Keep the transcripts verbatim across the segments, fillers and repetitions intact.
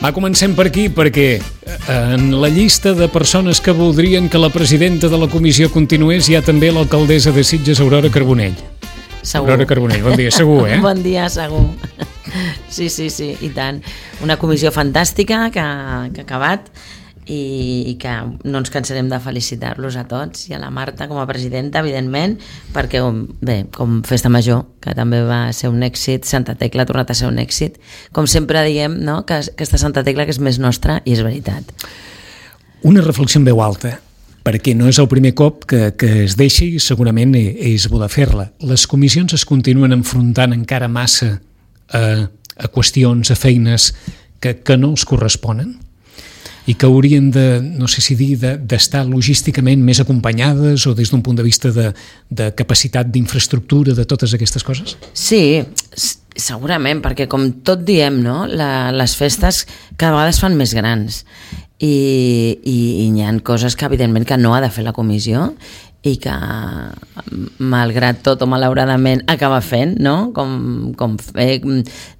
Va, comencem per aquí, perquè en la llista de persones que voldrien que la presidenta de la comissió continués hi ha també l'alcaldessa de Sitges, Aurora Carbonell. Segur. Aurora Carbonell, bon dia, segur, eh? Bon dia, segur. Sí, sí, sí, i tant. Una comissió fantàstica que, que ha acabat i, i que no ens cansarem de felicitar-los a tots i a la Marta com a presidenta, evidentment, perquè, bé, com Festa Major, que també va ser un èxit, Santa Tecla ha tornat a ser un èxit. Com sempre diem, no?, que aquesta Santa Tecla que és més nostra, i és veritat. Una reflexió en veu alta, perquè no és el primer cop que, que es deixi i segurament és bo de fer-la. Les comissions es continuen enfrontant encara massa a, a qüestions, a feines que, que no els corresponen i que haurien de, no sé si dir, d'estar de, logísticament més acompanyades o des d'un punt de vista de, de capacitat d'infraestructura de totes aquestes coses? Sí, segurament, perquè com tot diem, no?, La, les festes cada vegada es fan més grans i, i, i hi ha coses que evidentment que no ha de fer la comissió i que malgrat tot o malauradament acaba fent, no?, com, com fer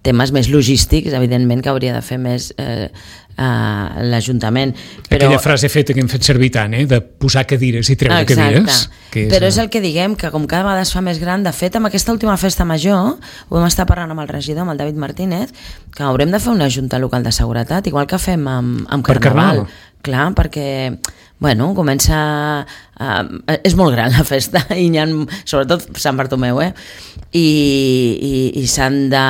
temes més logístics, evidentment que hauria de fer més eh, a l'Ajuntament. Però... Aquella frase feta que hem fet servir tant, eh? De posar cadires i treure Exacte. cadires. Que és... Però és el que diguem, que com cada vegada es fa més gran, de fet, amb aquesta última festa major, ho vam estar parlant amb el regidor, amb el David Martínez, que haurem de fer una junta local de seguretat, igual que fem amb, amb per Carnaval. Carnaval. Clar, perquè, bueno, comença... Uh, és molt gran la festa, i hi ha, sobretot Sant Bartomeu, eh? I, i, i s'han de,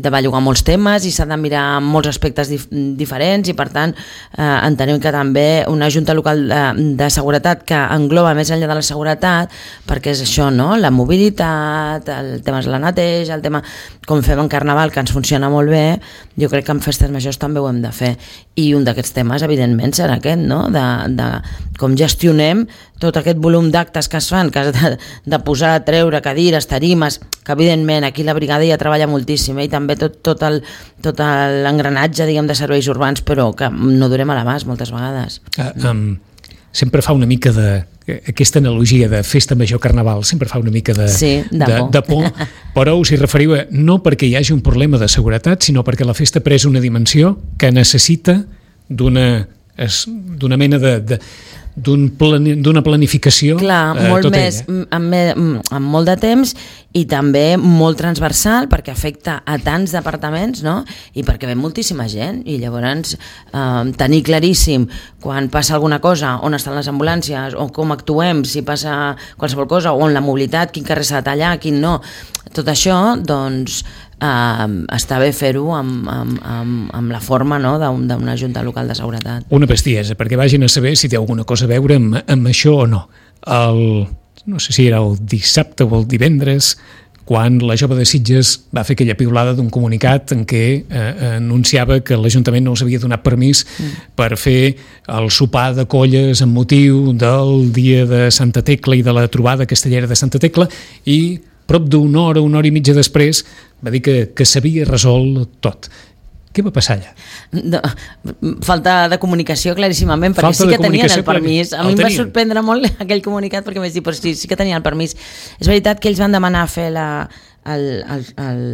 de bellugar molts temes i s'han de mirar molts aspectes dif diferents i per tant eh, entenem que també una junta local de, de seguretat que engloba més enllà de la seguretat, perquè és això, no?, la mobilitat, el tema de la neteja, el tema com fem en Carnaval, que ens funciona molt bé, jo crec que en festes majors també ho hem de fer, i un d'aquests temes evidentment serà aquest, no?, de, de com gestionem tot aquest volum d'actes que es fan, que has de, de posar, treure cadires, tarimes, que evidentment aquí la brigada ja treballa moltíssim, eh? I també tot, tot el tot l'engranatge, diguem, de serveis urbans, però que no durem a l'abast moltes vegades. Uh, um, sempre fa una mica de... Aquesta analogia de festa major Carnaval sempre fa una mica de, sí, de, de, por. de por, però us hi referiu a, no perquè hi hagi un problema de seguretat, sinó perquè la festa ha pres una dimensió que necessita d'una d'una mena de... de d'una plani, planificació. Clar, eh, molt tot més, ell, eh? amb, amb molt de temps i també molt transversal perquè afecta a tants departaments, no?, i perquè ve moltíssima gent i llavors eh, tenir claríssim quan passa alguna cosa, on estan les ambulàncies o com actuem, si passa qualsevol cosa, o on la mobilitat, quin carrer s'ha de tallar, quin no, tot això, doncs Uh, està bé fer-ho amb, amb, amb, amb la forma, no?, d'una junta local de seguretat. Una bestiesa, perquè vagin a saber si té alguna cosa a veure amb, amb això o no. El, no sé si era el dissabte o el divendres, quan la jove de Sitges va fer aquella piulada d'un comunicat en què eh, anunciava que l'Ajuntament no els havia donat permís mm. per fer el sopar de colles amb motiu del dia de Santa Tecla i de la trobada castellera de Santa Tecla, i prop d'una hora, una hora i mitja després va dir que, que s'havia resolt tot. Què va passar allà? No, falta de comunicació claríssimament, perquè falta sí que tenien el clar, permís. A el mi em va tenien. sorprendre molt aquell comunicat perquè vaig dir, però sí, sí que tenien el permís. És veritat que ells van demanar fer la, el, el, el,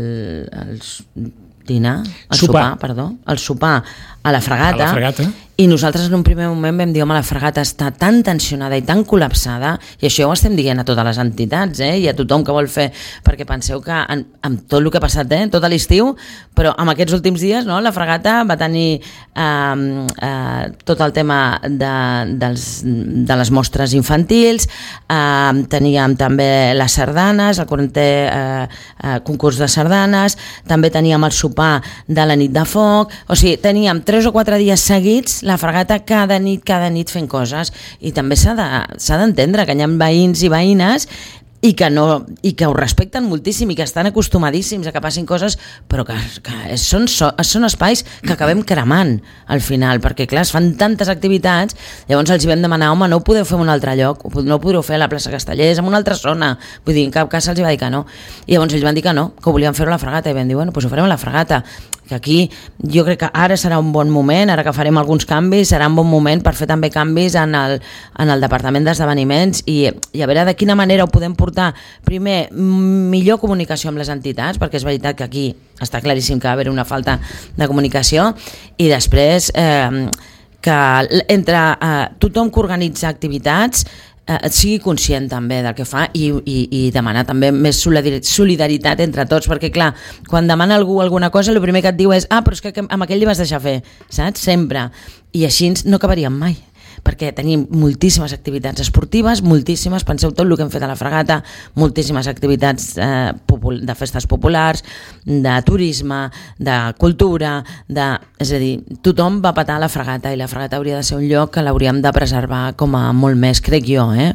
el dinar, el sopar. sopar, perdó, el sopar a la Fragata, a la Fragata. I nosaltres en un primer moment vam dir, home, la Fragata està tan tensionada i tan col·lapsada, i això ja ho estem dient a totes les entitats, eh, i a tothom que vol fer, perquè penseu que en, amb tot el que ha passat, eh, tot l'estiu, però amb aquests últims dies, no, la Fragata va tenir eh, eh, tot el tema de, dels, de les mostres infantils, eh, teníem també les sardanes, el quarantè eh, eh, concurs de sardanes, també teníem el sopar de la nit de foc, o sigui, teníem tres o quatre dies seguits la Fragata cada nit, cada nit fent coses, i també s'ha de, s'ha d'entendre que hi ha veïns i veïnes i que, no, i que ho respecten moltíssim i que estan acostumadíssims a que passin coses, però que, que són, són espais que acabem cremant al final, perquè clar, es fan tantes activitats, llavors els hi vam demanar, home, no ho podeu fer en un altre lloc, no ho podeu fer a la plaça Castellers, en una altra zona, vull dir, en cap cas se'ls va dir que no, i llavors ells van dir que no, que ho volien fer a la Fragata, i vam dir, bueno, doncs ho farem a la Fragata, que aquí jo crec que ara serà un bon moment, ara que farem alguns canvis, serà un bon moment per fer també canvis en el, en el Departament d'Esdeveniments i, i a veure de quina manera ho podem portar portar, primer, millor comunicació amb les entitats, perquè és veritat que aquí està claríssim que va haver una falta de comunicació, i després eh, que entre eh, tothom que organitza activitats eh, sigui conscient també del que fa i, i, i demanar també més solidaritat entre tots, perquè clar, quan demana algú alguna cosa, el primer que et diu és ah, però és que amb aquell li vas deixar fer, saps? Sempre. I així no acabaríem mai, perquè tenim moltíssimes activitats esportives, moltíssimes, penseu tot el que hem fet a la Fragata, moltíssimes activitats eh, de festes populars, de turisme, de cultura, de... és a dir, tothom va patar a la Fragata i la Fragata hauria de ser un lloc que l'hauríem de preservar com a molt més, crec jo, eh?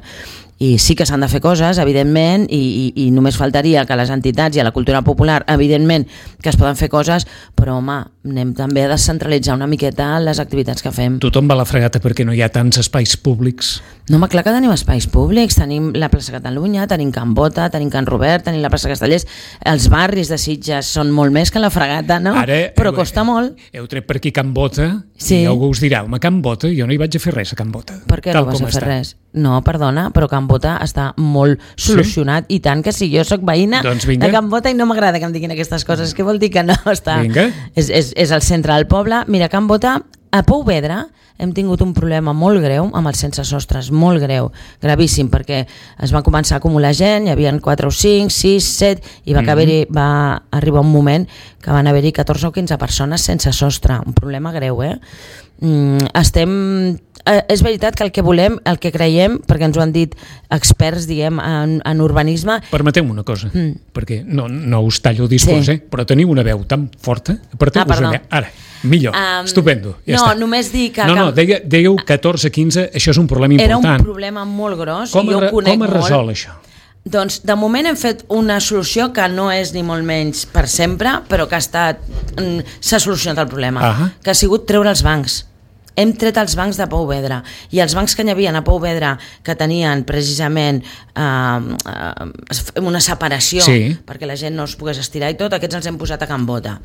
I sí que s'han de fer coses, evidentment, i, i, i només faltaria que les entitats i a la cultura popular, evidentment, que es poden fer coses, però, home, anem també a descentralitzar una miqueta les activitats que fem. Tothom va a la Fragata perquè no hi ha tants espais públics. No, home, clar que tenim espais públics, tenim la plaça Catalunya, tenim Can Bota, tenim Can Robert, tenim la plaça Castellers, els barris de Sitges són molt més que la Fragata, no? Ara, però heu, costa molt. Heu tret per aquí Can Bota, sí. I algú us dirà, home, Can Bota, jo no hi vaig a fer res a Can Bota. Per què no vas a fer res? No, perdona, però Can Bota està molt solucionat, sí? I tant que si jo sóc veïna doncs de Can Bota i no m'agrada que em diguin aquestes coses, què vol dir que no està... Vinga. És, és, és el centre del poble. Mira, Can Bota, a Pouvedra hem tingut un problema molt greu amb els sense sostres, molt greu, gravíssim, perquè es va començar a acumular gent, hi havia quatre o cinc, sis, set, i va, mm-hmm. haver-hi, va arribar un moment que van haver-hi catorze o quinze persones sense sostre, un problema greu, eh? Mm, estem... Eh, és veritat que el que volem, el que creiem, perquè ens ho han dit experts, diguem, en, en urbanisme... Permeteu-me una cosa, mm. perquè no, no us tallo el discurs, sí. eh? Però teniu una veu tan forta... Aparteu-vos ah, allà. Ara, millor, um, estupendo. Ja no, està. Només dic que... No, no, deia, dèieu catorze quinze, això és un problema important. Era un problema molt gros, com jo ho conec com es molt. resol això? Doncs de moment hem fet una solució que no és ni molt menys per sempre, però que ha estat... s'ha solucionat el problema, uh-huh. que ha sigut treure els bancs. Hem tret els bancs de Pouvedra, i els bancs que hi havia a Pouvedra, que tenien precisament eh, eh, una separació, sí. perquè la gent no es pogués estirar i tot, aquests els hem posat a Can Bota.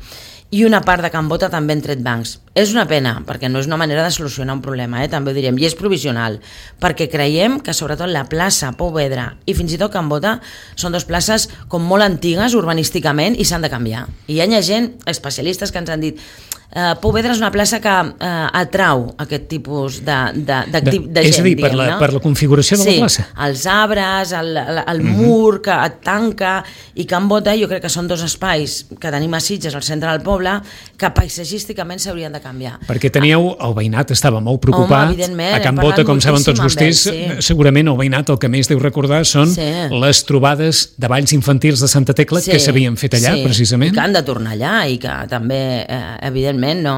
I una part de Can Bota també hem tret bancs. És una pena, perquè no és una manera de solucionar un problema, eh? També ho direm, i és provisional, perquè creiem que sobretot la plaça Pouvedra i fins i tot Can Bota són dues places com molt antigues urbanísticament i s'han de canviar. I hi ha gent, especialistes, que ens han dit Uh, Pouvedra és una plaça que uh, atrau aquest tipus de, de, de, de, de gent, és a dir, per, diguem, la, no? per la configuració de sí, la plaça. Els arbres, el, el, el mm-hmm. mur que et tanca, i Can Bota jo crec que són dos espais que tenim a Sitges, al centre del poble, que paisatgísticament s'haurien de canviar. Perquè teníeu, el veïnat estava molt preocupat. Home, a Can Bota, com saben tots vostès, ell, sí. segurament el veïnat el que més deu recordar són sí. les trobades de balls infantils de Santa Tecla sí. que s'havien fet allà, sí. precisament. I que han de tornar allà, i que també, eh, evidentment, no...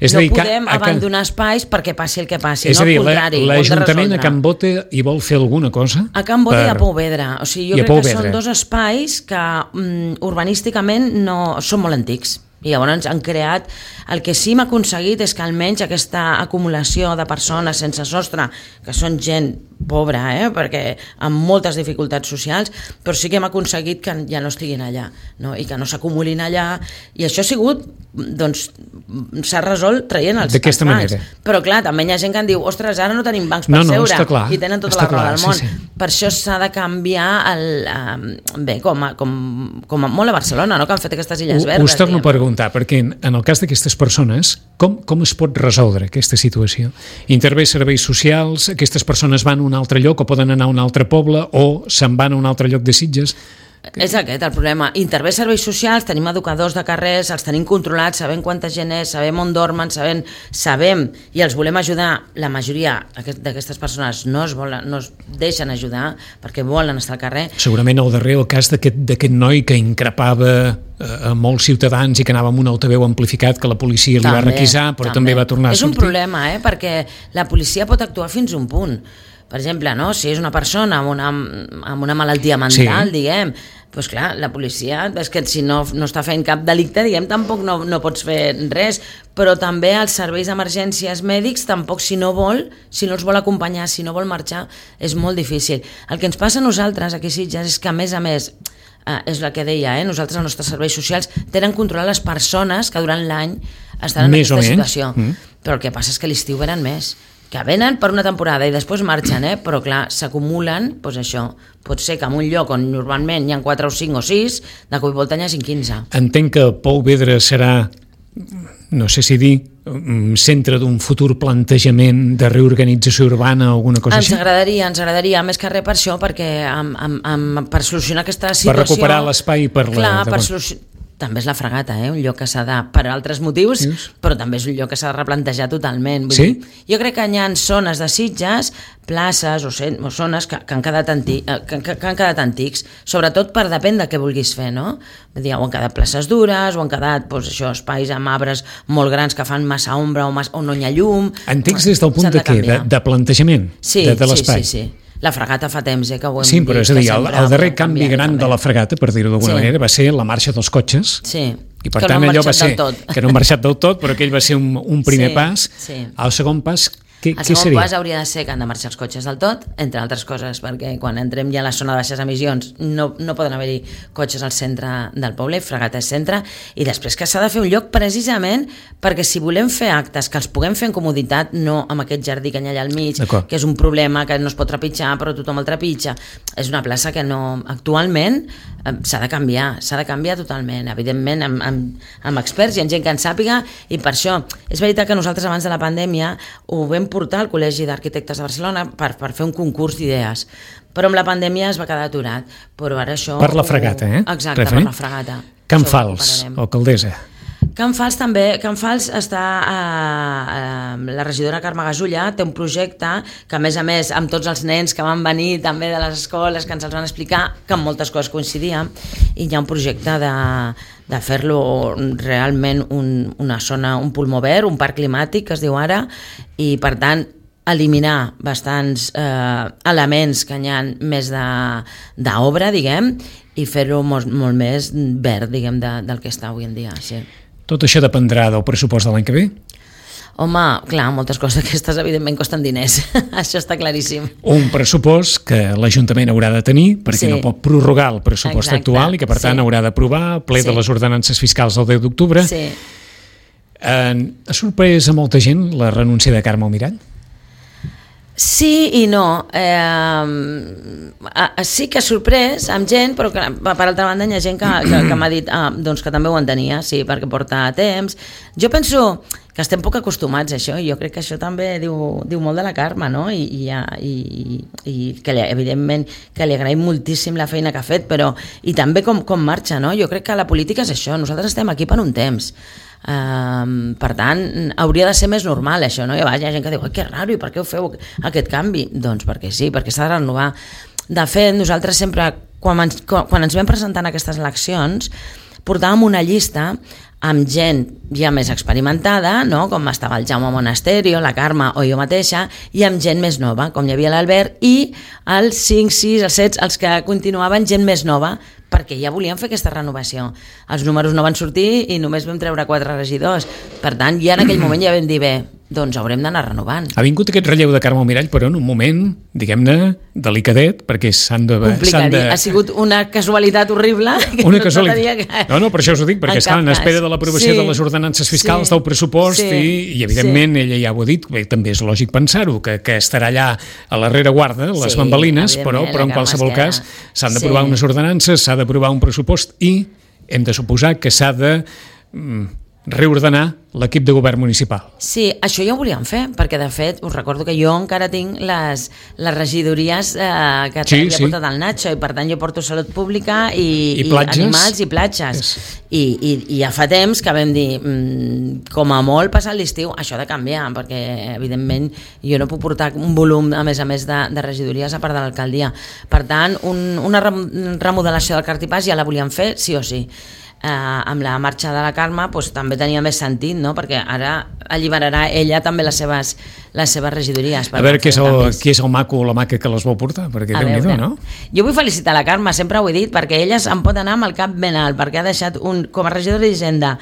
És no dir, podem que, abandonar que... espais perquè passi el que passi, és no dir, al contrari. L'Ajuntament a Can Bota hi vol fer alguna cosa? A Can Bota per... i a Pouvedra. O sigui, jo I crec que són dos espais que um, urbanísticament no, són molt antics. I llavors han creat, el que sí m'ha aconseguit és que almenys aquesta acumulació de persones sense sostre, que són gent pobra, eh? perquè amb moltes dificultats socials, però sí que hem aconseguit que ja no estiguin allà, no? I que no s'acumulin allà, i això ha sigut, doncs, s'ha resolt traient els, els bancs. Manera. Però clar, també hi ha gent que en diu, ostres, ara no tenim bancs per no, no, seure, clar, i tenen tota la raó del món. Sí, sí. Per això s'ha de canviar, el, um, bé, com a, com, com a molt a Barcelona, no? Que han fet aquestes illes verdes. Us torno a preguntar, perquè en, en el cas d'aquestes persones, com, com es pot resoldre aquesta situació? Intervé serveis socials, aquestes persones van a un altre lloc o poden anar a un altre poble o se'n van a un altre lloc de Sitges? És aquest el problema. Intervé serveis socials, tenim educadors de carrers, els tenim controlats, sabem quanta gent és, sabem on dormen, sabem, sabem i els volem ajudar. La majoria d'aquestes persones no es, volen, no es deixen ajudar perquè volen estar al carrer. Segurament al darrer el cas d'aquest noi que increpava a molts ciutadans i que anava amb un altaveu amplificat que la policia li també, va requisar, però també, també va tornar a sortir. És un problema, eh? Perquè la policia pot actuar fins a un punt. Per exemple, no? Si és una persona amb una, amb una malaltia mental, sí. diguem, doncs clar, la policia, és que si no, no està fent cap delicte, diguem, tampoc no, no pots fer res, però també els serveis d'emergències mèdics, tampoc si no vol, si no els vol acompanyar, si no vol marxar, és molt difícil. El que ens passa a nosaltres aquí a Sitges és que, a més a més, eh, és el que deia, eh? Nosaltres, els nostres serveis socials, tenen controlar les persones que durant l'any estan en més aquesta o situació. Mm. Però el que passa és que l'estiu venen més. que venen per una temporada i després marxen, eh? Però clar, s'acumulen, doncs això, pot ser que en un lloc on normalment hi ha quatre o cinc o sis, de cop i volta hi hagi quinze. Entenc que Pou Vedra serà, no sé si dir, centre d'un futur plantejament de reorganització urbana o alguna cosa ens així? Ens agradaria, ens agradaria, més que res per això, perquè amb, amb, amb, per solucionar aquesta situació... Per recuperar l'espai per la... Clar, per solucionar... També és la Fragata, eh? Un lloc que s'ha de, per altres motius, Dius? Però també és un lloc que s'ha de replantejar totalment. Vull sí? dir, jo crec que hi ha zones de Sitges, places o, cent, o zones que, que, han quedat anti, que, que, que han quedat antics, sobretot per depèn de què vulguis fer, no? Vull dir, o han quedat places dures, o han quedat doncs, això, espais amb arbres molt grans que fan massa ombra o, massa, o no hi ha llum... Antics des del punt de, de què? De, de plantejament? Sí, de, de l'espai? sí, sí, sí. La Fragata fa temps, eh, que ho hem sí, però dit. És a dir, el, el darrer canvi gran de la Fragata, per dir-ho d'alguna sí. manera, va ser la marxa dels cotxes. Sí, i per que tant no allò va ser tot. que no han marxat del tot, però aquell va ser un, un primer sí, pas. Sí. El segon pas, què, el què segon seria? pas hauria de ser que han de marxar els cotxes del tot, entre altres coses, perquè quan entrem ja a la zona de baixes emissions no, no poden haver-hi cotxes al centre del poble, Fragata és centre, i després que s'ha de fer un lloc precisament perquè si volem fer actes que els puguem fer en comoditat, no amb aquest jardí que hi ha allà al mig, que és un problema que no es pot trepitjar però tothom el trepitja, és una plaça que no, actualment eh, s'ha de canviar, s'ha de canviar totalment, evidentment amb, amb, amb experts i amb gent que en sàpiga, i per això és veritat que nosaltres abans de la pandèmia ho vam portar al Col·legi d'Arquitectes de Barcelona per, per fer un concurs d'idees, però amb la pandèmia es va quedar aturat, però ara això... Per la Fragata, eh? Exacte, Referent? per la Fragata. Can Fals, o Caldesa. Can Fals també, Can Fals està a, a, la regidora Carme Gasulla té un projecte que a més a més amb tots els nens que van venir també de les escoles que ens els van explicar, que amb moltes coses coincidia, i hi ha un projecte de, de fer-lo realment un, una zona, un pulmó verd, un parc climàtic que es diu ara, i per tant eliminar bastants eh, elements que hi ha més d'obra, diguem, i fer-ho molt, molt més verd, diguem, de, del que està avui en dia, sí. Tot això dependrà del pressupost de l'any que ve? Home, clar, moltes coses aquestes evidentment costen diners, això està claríssim. Un pressupost que l'Ajuntament haurà de tenir, perquè sí. no pot prorrogar el pressupost Exacte. actual i que per tant sí. haurà d'aprovar ple sí. de les ordenances fiscals el deu d'octubre. Sí. Eh, ha sorprès a molta gent la renúncia de Carme Almirall? Sí i no. Eh, sí que ha sorprès amb gent, però que, per altra banda hi ha gent que, que, que m'ha dit ah, doncs que també ho entenia, sí, perquè porta temps. Jo penso que estem poc acostumats a això, i jo crec que això també diu, diu molt de la Carme, no? I, i, i, i que li, evidentment que li agraïm moltíssim la feina que ha fet, però i també com, com marxa, no? Jo crec que la política és això, nosaltres estem aquí per un temps. Um, per tant, hauria de ser més normal això, no? Hi ha gent que diu, que raro, i per què ho feu aquest canvi? Doncs perquè sí, perquè s'ha de renovar. De fet, nosaltres sempre, quan ens, quan ens vam presentar en aquestes eleccions, portàvem una llista amb gent ja més experimentada, no? Com estava el Jaume Monasterio, la Carme o jo mateixa, i amb gent més nova, com hi havia l'Albert, i els cinc, sis, els set, els que continuaven gent més nova, perquè ja volíem fer aquesta renovació. Els números no van sortir i només vam treure quatre regidors. Per tant, ja en aquell moment ja vam dir, bé, doncs haurem d'anar renovant. Ha vingut aquest relleu de Carme Almirall, però en un moment, diguem-ne, delicadet, perquè s'han de... Complicat, de... ha sigut una casualitat horrible. Una casualitat. Que... No, no, per això us ho dic, perquè estan en espera de l'aprovació sí, de les ordenances fiscals, sí, del pressupost, sí, i, i evidentment sí. ella ja ho ha dit, bé, també és lògic pensar-ho, que, que estarà allà a la rereguarda, les sí, bambalines, però, però en qualsevol cas s'han d'aprovar sí. unes ordenances, s'ha d'aprovar un pressupost i hem de suposar que s'ha de mm, reordenar l'equip de govern municipal. Sí, això ja ho volíem fer, perquè de fet us recordo que jo encara tinc les, les regidories eh, que sí, havia sí. portat el Nacho, i per tant jo porto salut pública i, I, i animals i platges. Yes. I, i, I ja fa temps que vam dir, mmm, com a molt passat l'estiu, això ha de canviar, perquè evidentment jo no puc portar un volum a més a més de, de regidories a part de l'alcaldia. Per tant, un, una remodelació del cartipàs ja la volíem fer sí o sí. Eh, amb la marxa de la Carme doncs, també tenia més sentit, no? Perquè ara alliberarà ella també les seves, les seves regidories. A veure qui és, el, qui és el maco o la maca que les vol portar, perquè Déu-n'hi-do, no? Jo vull felicitar la Carme, sempre ho he dit, perquè elles em pot anar amb el cap ben alt, perquè ha deixat un, com a regidora d'Hisenda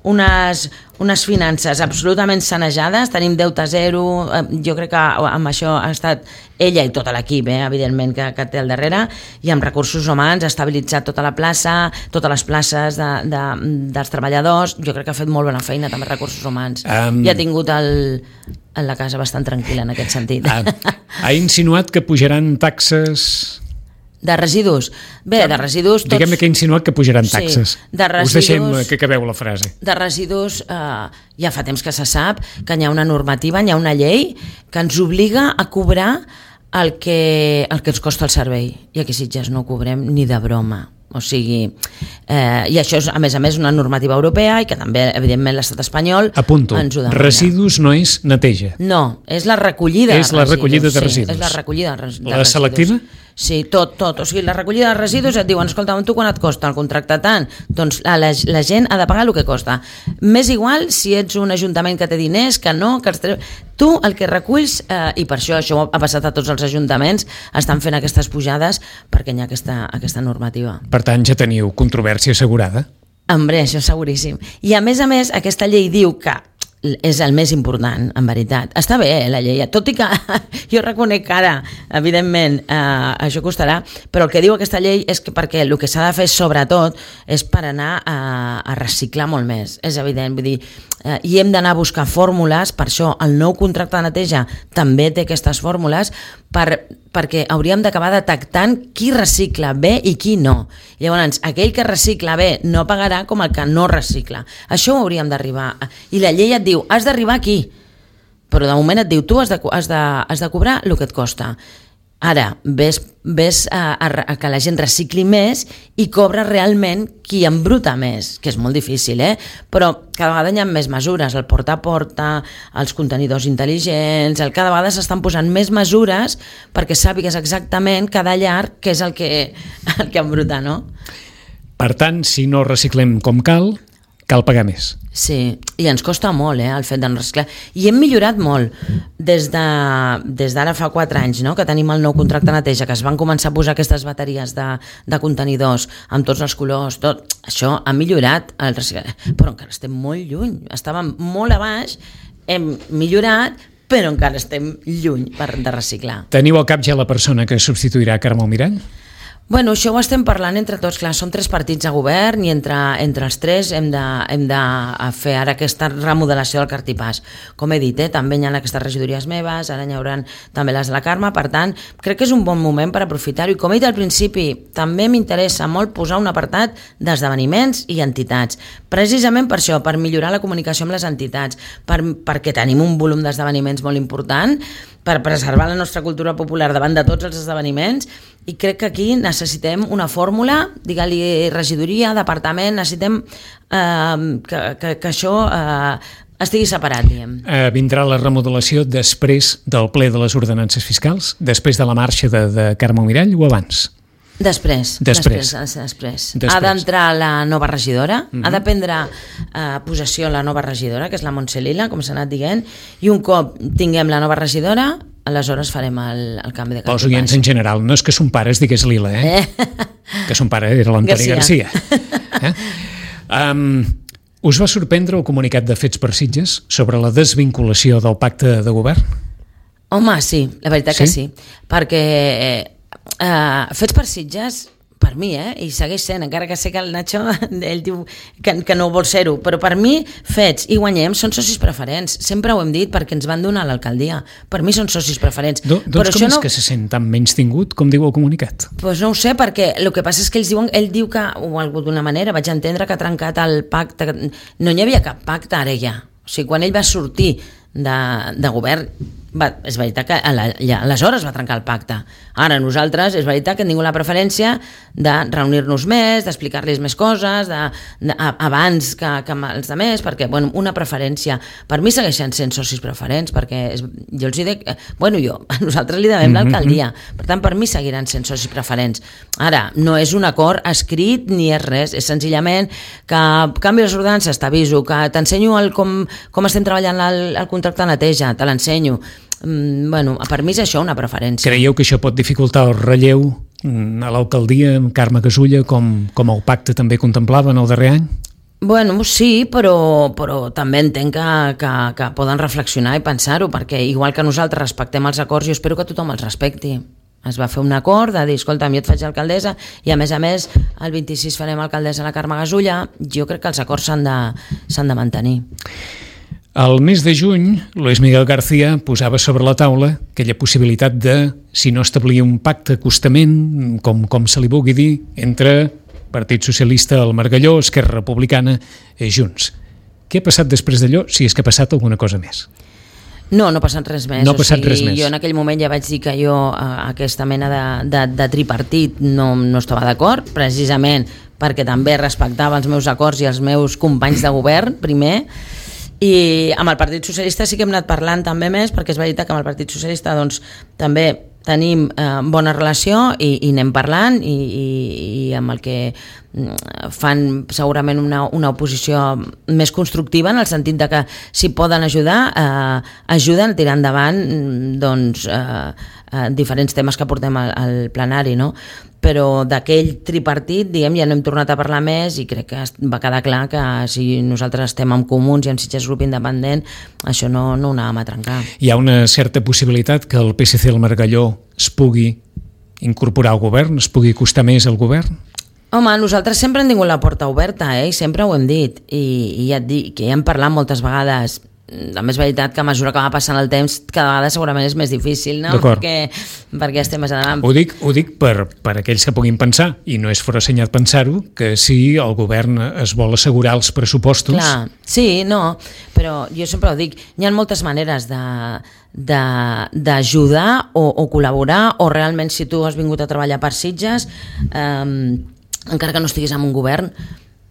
unes, unes finances absolutament sanejades, tenim deute zero, jo crec que amb això ha estat ella i tot l'equip, eh, evidentment, que, que té al darrere, i amb recursos humans ha estabilitzat tota la plaça, totes les places de, de, dels treballadors. Jo crec que ha fet molt bona feina també recursos humans, um... i ha tingut el, la casa bastant tranquil·la en aquest sentit. Ha, ha insinuat que pujaran taxes... De residus? Bé, de residus... Tots... Diguem-ne que ha insinuat que pujaran taxes. Sí, de residus... Us deixem que acabeu la frase. De residus, eh, ja fa temps que se sap que hi ha una normativa, hi ha una llei que ens obliga a cobrar el que, el que ens costa el servei. I aquí a Sitges no ho cobrem ni de broma. O sigui, eh, i això és, a més a més, una normativa europea i que també, evidentment, l'estat espanyol Apunto, ens ho demana. Residus no és neteja. No, és la recollida és de residus. És la recollida de residus. Sí, és la recollida de, de la residus. Selectiva? Sí, tot, tot. O sigui, la recollida de residus et diuen, escolta, tu quan et costa el contracte tant? Doncs la, la gent ha de pagar el que costa. M'és igual si ets un ajuntament que té diners, que no, que els tre... Tu el que reculls, eh, i per això això ha passat a tots els ajuntaments, estan fent aquestes pujades perquè hi ha aquesta, aquesta normativa. Per tant, ja teniu controvèrsia assegurada? Hombre, això seguríssim. I a més a més, aquesta llei diu que és el més important, en veritat. Està bé, eh, la llei, tot i que jo reconec que ara, evidentment, eh, això costarà, però el que diu aquesta llei és que perquè el que s'ha de fer sobretot és per anar a, a reciclar molt més, és evident, vull dir, eh, i hem d'anar a buscar fórmules, per això el nou contracte de neteja també té aquestes fórmules, per, perquè hauríem d'acabar detectant qui recicla bé i qui no. Llavors, aquell que recicla bé no pagarà com el que no recicla. Això ho hauríem d'arribar. I la llei et diu, has d'arribar aquí, però de moment et diu, tu has de, has de, has de cobrar el que et costa. Ara, ves, ves a, a, a que la gent recicli més i cobra realment qui embruta més, que és molt difícil, eh? Però cada vegada hi ha més mesures, el porta a porta, els contenidors intel·ligents, el, cada vegada s'estan posant més mesures perquè sàpigues exactament cada llar què és el que, el que embruta, no? Per tant, si no reciclem com cal, cal pagar més. Sí, i ens costa molt, eh, el fet de no reciclar. I hem millorat molt des de, des d'ara fa quatre anys, no?, que tenim el nou contracte de neteja, que es van començar a posar aquestes bateries de, de contenidors amb tots els colors, tot. Això ha millorat el reciclar, però encara estem molt lluny. Estàvem molt a baix, hem millorat, però encara estem lluny per, de reciclar. Teniu al cap ja la persona que substituirà Carme Almirall? Bueno, això ho estem parlant entre tots, clar, som tres partits a govern i entre, entre els tres hem de, hem de fer ara aquesta remodelació del cartipàs. Com he dit, eh, també hi ha aquestes regidories meves, ara hi haurà també les de la Carme, per tant, crec que és un bon moment per aprofitar-ho. I com he dit al principi, també m'interessa molt posar un apartat d'esdeveniments i entitats, precisament per això, per millorar la comunicació amb les entitats, per, perquè tenim un volum d'esdeveniments molt important, per preservar la nostra cultura popular davant de tots els esdeveniments, i crec que aquí necessitem una fórmula, digue-li regidoria, departament, necessitem eh, que, que, que això eh, estigui separat, diguem. Eh, vindrà la remodelació després del ple de les ordenances fiscals, després de la marxa de, de Carme Almirall o abans? Després, després. després, després. després. Ha d'entrar la nova regidora, uh-huh. ha de prendre eh, possessió la nova regidora, que és la Montse Lila, com s'ha anat dient, i un cop tinguem la nova regidora, aleshores farem el, el canvi de cartipàs. Els oients en general, no és que son pare es digués Lila, eh? eh? Que son pare era l'Antoni Garcia. Garcia. Eh? Um, us va sorprendre el comunicat de Fets per Sitges sobre la desvinculació del pacte de govern? Home, sí, la veritat sí? que sí, perquè... Eh, Uh, Fets per Sitges, per mi, eh, i segueix sent, encara que sé que el Nacho ell diu que, que no vol ser-ho, però per mi Fets i Guanyem són socis preferents, sempre ho hem dit perquè ens van donar l'alcaldia, per mi són socis preferents. Do, doncs però com és no... que se sent tan menys tingut com diu el comunicat? Pues no ho sé, perquè el que passa és que ells diuen, ell diu que, o d'una manera, vaig entendre que ha trencat el pacte, no hi havia cap pacte ara ja, o sigui, quan ell va sortir de, de govern, va, és veritat que ja, aleshores va trencar el pacte. Ara nosaltres, és veritat que hem tingut la preferència de reunir-nos més, d'explicar-los més coses, de, de, abans que, que amb els altres, perquè, bueno, una preferència. Per mi segueixen sent socis preferents, perquè és, jo els dic, bueno, jo, nosaltres li devem l'alcaldia, per tant, per mi seguiran sent socis preferents. Ara, no és un acord escrit ni és res, és senzillament que canvi les ordenances, t'aviso, que t'ensenyo el, com, com estem treballant el, el contracte de neteja, te l'ensenyo. Mm, bueno, per mi és això una preferència. Creieu que això pot dificultar el relleu a l'alcaldia amb Carme Casulla com, com el pacte també contemplava en el darrer any? Bueno, sí, però, però també entenc que, que, que poden reflexionar i pensar-ho, perquè igual que nosaltres respectem els acords, jo espero que tothom els respecti. Es va fer un acord de dir, escolta, jo et faig alcaldessa i a més a més el vint-i-sis farem alcaldessa a la Carme Gasulla. Jo crec que els acords s'han de, s'han de mantenir. Al mes de juny, Luis Miguel García posava sobre la taula aquella possibilitat de, si no establir un pacte acostament, com, com se li vulgui dir, entre Partit Socialista, el Margalló, Esquerra Republicana i Junts. Què ha passat després d'allò, si és que ha passat alguna cosa més? No, no ha passat res més. No ha passat o sigui, res més. Jo en aquell moment ja vaig dir que jo a aquesta mena de, de, de tripartit no, no estava d'acord, precisament perquè també respectava els meus acords i els meus companys de govern, primer, i amb el Partit Socialista sí que hem anat parlant també més, perquè és veritat que amb el Partit Socialista doncs, també tenim eh, bona relació i, i anem parlant i, i, i amb el que fan segurament una, una oposició més constructiva en el sentit de que si poden ajudar, eh, ajuden a tirar endavant doncs, eh, eh, diferents temes que portem al, al plenari, no? Però d'aquell tripartit, diguem, ja no hem tornat a parlar més i crec que va quedar clar que si nosaltres estem amb comuns i amb Sitges Grup Independent, això no, no ho anàvem a trencar. Hi ha una certa possibilitat que el P S C i el Margalló es pugui incorporar al govern, es pugui acostar més al govern? Home, nosaltres sempre hem tingut la porta oberta, eh? I sempre ho hem dit, i, i ja et dic que ja hem parlat moltes vegades. També és veritat que a mesura que va passant el temps cada vegada segurament és més difícil, no? Perquè, perquè estem més endavant. Ho dic, ho dic per, per aquells que puguin pensar, i no és forassenyat pensar-ho, que si el govern es vol assegurar els pressupostos... Clar, sí, no, però jo sempre ho dic, hi ha moltes maneres de d'ajudar o, o col·laborar, o realment si tu has vingut a treballar per Sitges, eh, encara que no estiguis en un govern,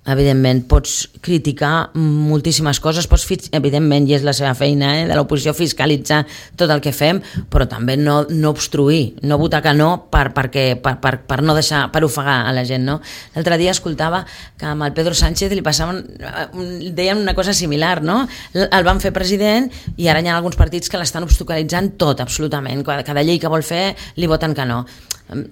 evidentment pots criticar moltíssimes coses, pots, evidentment, i és la seva feina, eh, de l'oposició, fiscalitzar tot el que fem, però també no, no obstruir, no votar que no per, perquè, per, per, per no deixar, per ofegar a la gent, no? L'altre dia escoltava que amb el Pedro Sánchez li passaven, deien una cosa similar, no? El van fer president i ara hi ha alguns partits que l'estan obstaculitzant tot, absolutament, cada llei que vol fer li voten que no.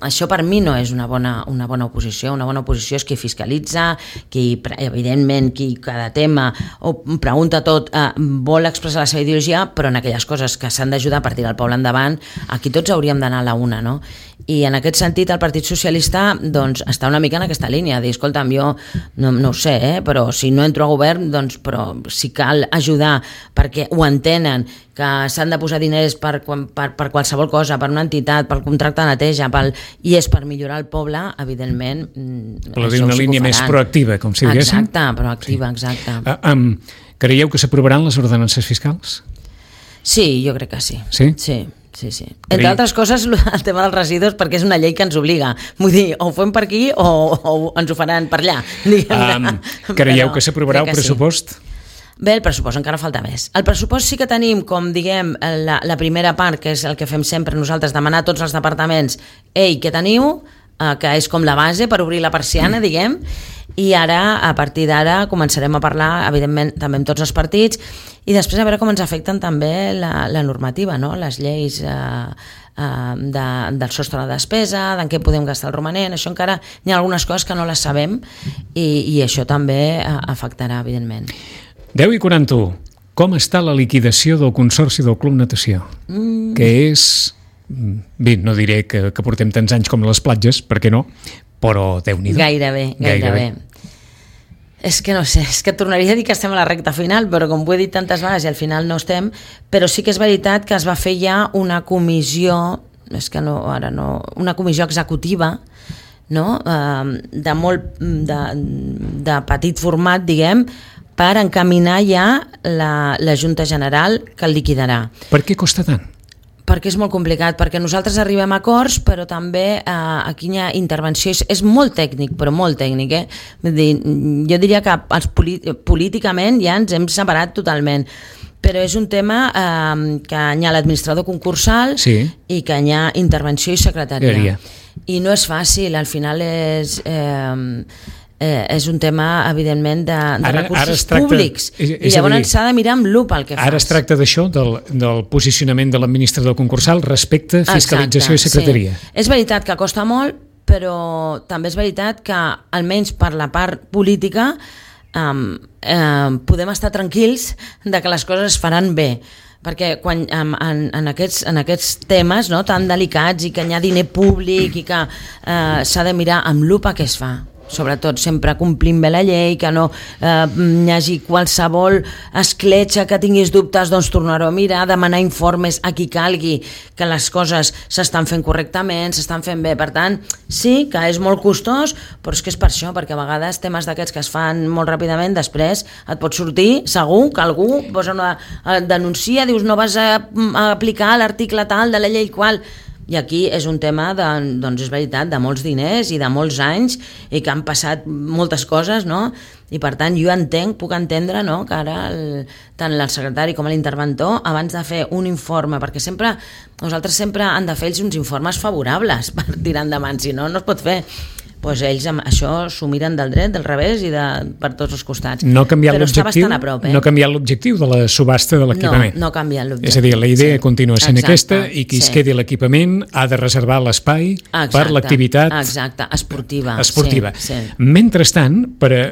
Això per mi no és una bona, una bona oposició. Una bona oposició és qui fiscalitza, qui, evidentment, qui cada tema o pregunta tot, eh, vol expressar la seva ideologia, però en aquelles coses que s'han d'ajudar a partir del poble endavant, aquí tots hauríem d'anar a la una, no? I en aquest sentit el Partit Socialista doncs, està una mica en aquesta línia, dir, escolta'm, jo no, no ho sé, eh, però si no entro a govern, doncs, però si cal ajudar perquè ho entenen, que s'han de posar diners per, per, per qualsevol cosa, per una entitat, pel contracte de neteja, pel, i és per millorar el poble, evidentment... Però dir una línia més proactiva, com si diguéssim. Exacte, proactiva, exacte. Sí. Uh, um, creieu que s'aprovaran les ordenances fiscals? Sí, jo crec que sí. Sí? Sí. Sí, sí. Entre altres coses, el tema dels residus, perquè és una llei que ens obliga. Vull dir, o ho fem per aquí o, o ens ho faran per allà. Um, creieu que s'aprovarà el pressupost? Sí. Bé, el pressupost encara falta més. El pressupost sí que tenim, com diguem, la, la primera part, que és el que fem sempre nosaltres, demanar a tots els departaments, ei, què teniu? Eh, que és com la base per obrir la persiana, diguem, i ara, a partir d'ara, començarem a parlar, evidentment, també amb tots els partits, i després a veure com ens afecten també la, la normativa, no? Les lleis eh, eh, de, del sostre de despesa, d'en què podem gastar el romanent, això encara hi ha algunes coses que no les sabem, i, i això també eh, afectarà, evidentment. deu i quaranta-u. Com està la liquidació del Consorci del Club Natació? Mm. Que és... Bé, no diré que, que portem tants anys com les platges, perquè no, però Déu-n'hi-do. Gairebé, gairebé. gairebé. És que no sé, és que tornaria a dir que estem a la recta final, però com ho he dit tantes vegades i al final no estem, però sí que és veritat que es va fer ja una comissió, és que no, ara no, una comissió executiva, no? Uh, de molt, de, de petit format, diguem, per encaminar ja la, la Junta General que el liquidarà. Per què costa tant? Perquè és molt complicat, perquè nosaltres arribem a acords, però també eh, aquí hi ha intervenció, és, és molt tècnic, però molt tècnic, eh? Vull dir, jo diria que els políticament ja ens hem separat totalment, però és un tema eh, que hi ha l'administrador concursal, sí, i que hi ha intervenció i secretaria. I no és fàcil, al final és... Eh, Eh, és un tema, evidentment, de, de ara, recursos ara tracta, públics, és, és i llavors s'ha de mirar amb lupa el que fas. Ara es tracta d'això, del, del posicionament de l'administrador concursal respecte a fiscalització. Exacte, i secretaria. Sí. És veritat que costa molt, però també és veritat que, almenys per la part política, um, eh, podem estar tranquils de que les coses es faran bé, perquè quan, en, en, aquests, en aquests temes, no, tan delicats i que hi ha diner públic i que eh, s'ha de mirar amb lupa què es fa, sobretot sempre complint bé la llei, que no eh, hi hagi qualsevol escletxa que tinguis dubtes, doncs tornar-ho a mirar, demanar informes a qui calgui que les coses s'estan fent correctament, s'estan fent bé. Per tant, sí que és molt costós, però és que és per això, perquè a vegades temes d'aquests que es fan molt ràpidament, després et pot sortir segur que algú posa una denuncia, dius no vas a, a aplicar l'article tal de la llei qual. I aquí és un tema de, doncs és veritat, de molts diners i de molts anys i que han passat moltes coses, no? I per tant jo entenc, puc entendre, no, que ara el, tant el secretari com l'interventor, abans de fer un informe, perquè sempre nosaltres sempre han de fer ells uns informes favorables per tirar endavant, si no, no es pot fer. Pues ells amb això s'ho miren del dret, del revés i de, per tots els costats. No ha canviat però està l'objectiu, bastant a prop, eh? No ha canviat l'objectiu de la subhasta de l'equipament. No, no ha canviat l'objectiu. És a dir, la idea sí. continua sent Exacte, aquesta i qui sí. es quedi l'equipament ha de reservar l'espai exacte, per l'activitat exacte, esportiva. esportiva. Sí, sí. Mentrestant, per a,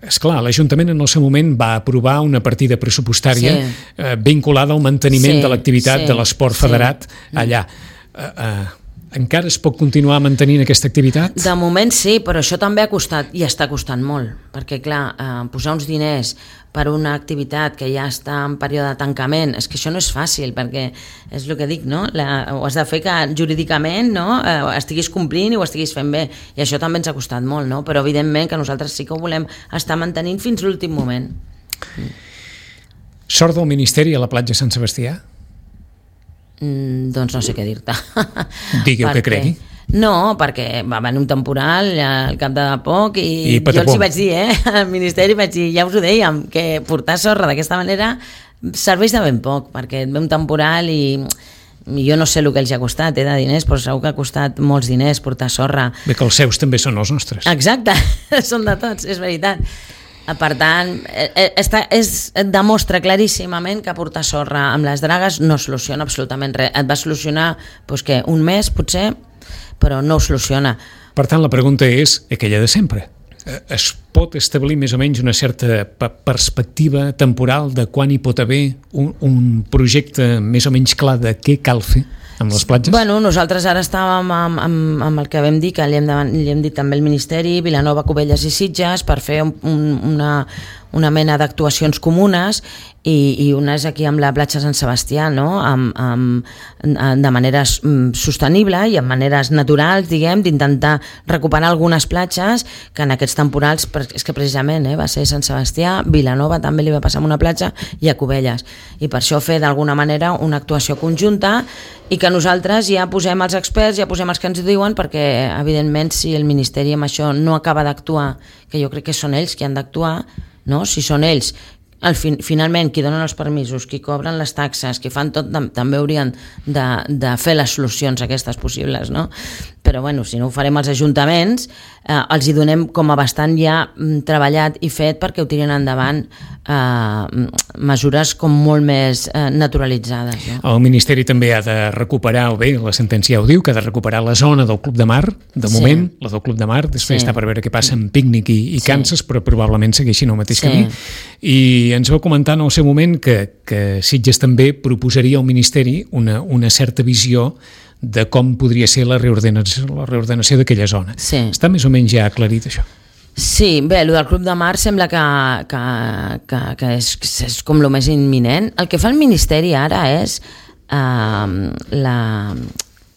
esclar, l'Ajuntament en el seu moment va aprovar una partida pressupostària sí. eh, vinculada al manteniment sí, de l'activitat sí, de l'esport federat sí. allà. Eh, eh, encara es pot continuar mantenint aquesta activitat? De moment sí, però això també ha costat i està costant molt, perquè clar, eh, posar uns diners per una activitat que ja està en període de tancament, és que això no és fàcil, perquè és el que dic, no? La, ho has de fer que jurídicament, no, eh, estiguis complint i ho estiguis fent bé, i això també ens ha costat molt, no? Però evidentment que nosaltres sí que ho volem estar mantenint fins l'últim moment. Sort del Ministeri a la platja Sant Sebastià? Mm, doncs no sé què dir-te. Digui el que cregui. No, perquè va venir un temporal al cap de poc i, I jo els hi vaig dir, eh, al Ministeri vaig dir, ja us ho dèiem, que portar sorra d'aquesta manera serveix de ben poc, perquè ve un temporal i jo no sé el que els ha costat, eh, de diners, però segur que ha costat molts diners portar sorra. Bé, que els seus també són els nostres. Exacte, són de tots, és veritat. Per tant, està, és, demostra claríssimament que portar sorra amb les dragues no soluciona absolutament res. Et va solucionar doncs, què, un mes, potser, però no ho soluciona. Per tant, la pregunta és aquella de sempre. Es pot establir més o menys una certa perspectiva temporal de quan hi pot haver un, un projecte més o menys clar de què cal fer amb les platges? Bueno, nosaltres ara estàvem amb, amb, amb el que vam dir, que li hem, de, li hem dit també al Ministeri, Vilanova, Cubelles i Sitges, per fer un, una, una mena d'actuacions comunes i, i unes aquí amb la platja Sant Sebastià, no? amb, amb, de manera sostenible i amb maneres naturals, diguem, d'intentar recuperar algunes platges que en aquests temporals, és que precisament eh, va ser Sant Sebastià, Vilanova també li va passar amb una platja i a Cubelles, i per això fer d'alguna manera una actuació conjunta i que nosaltres ja posem els experts, ja posem els que ens diuen, perquè evidentment si el Ministeri amb això no acaba d'actuar, que jo crec que són ells qui han d'actuar, no? Si són ells al fin, finalment qui donen els permisos, qui cobren les taxes, qui fan tot, també haurien de, de fer les solucions aquestes possibles, no? Però bueno, si no ho farem als ajuntaments, eh, els hi donem com a bastant ja treballat i fet perquè ho tirin endavant eh, mesures com molt més eh, naturalitzades. No? El Ministeri també ha de recuperar, o bé, la sentència ho diu, que ha de recuperar la zona del Club de Mar, de sí. moment, la del Club de Mar, després sí. està per veure què passa amb Pícnic i, i sí. Kansas, però probablement segueixin el mateix sí. camí. I ens va comentar en el seu moment que, que Sitges també proposaria al Ministeri una, una certa visió de com podria ser la reordenació, la reordenació d'aquella zona. Sí. Està més o menys ja aclarit això? Sí, bé, el del Club de Mar sembla que, que, que, que és, és com el més imminent. El que fa el Ministeri ara és eh, la...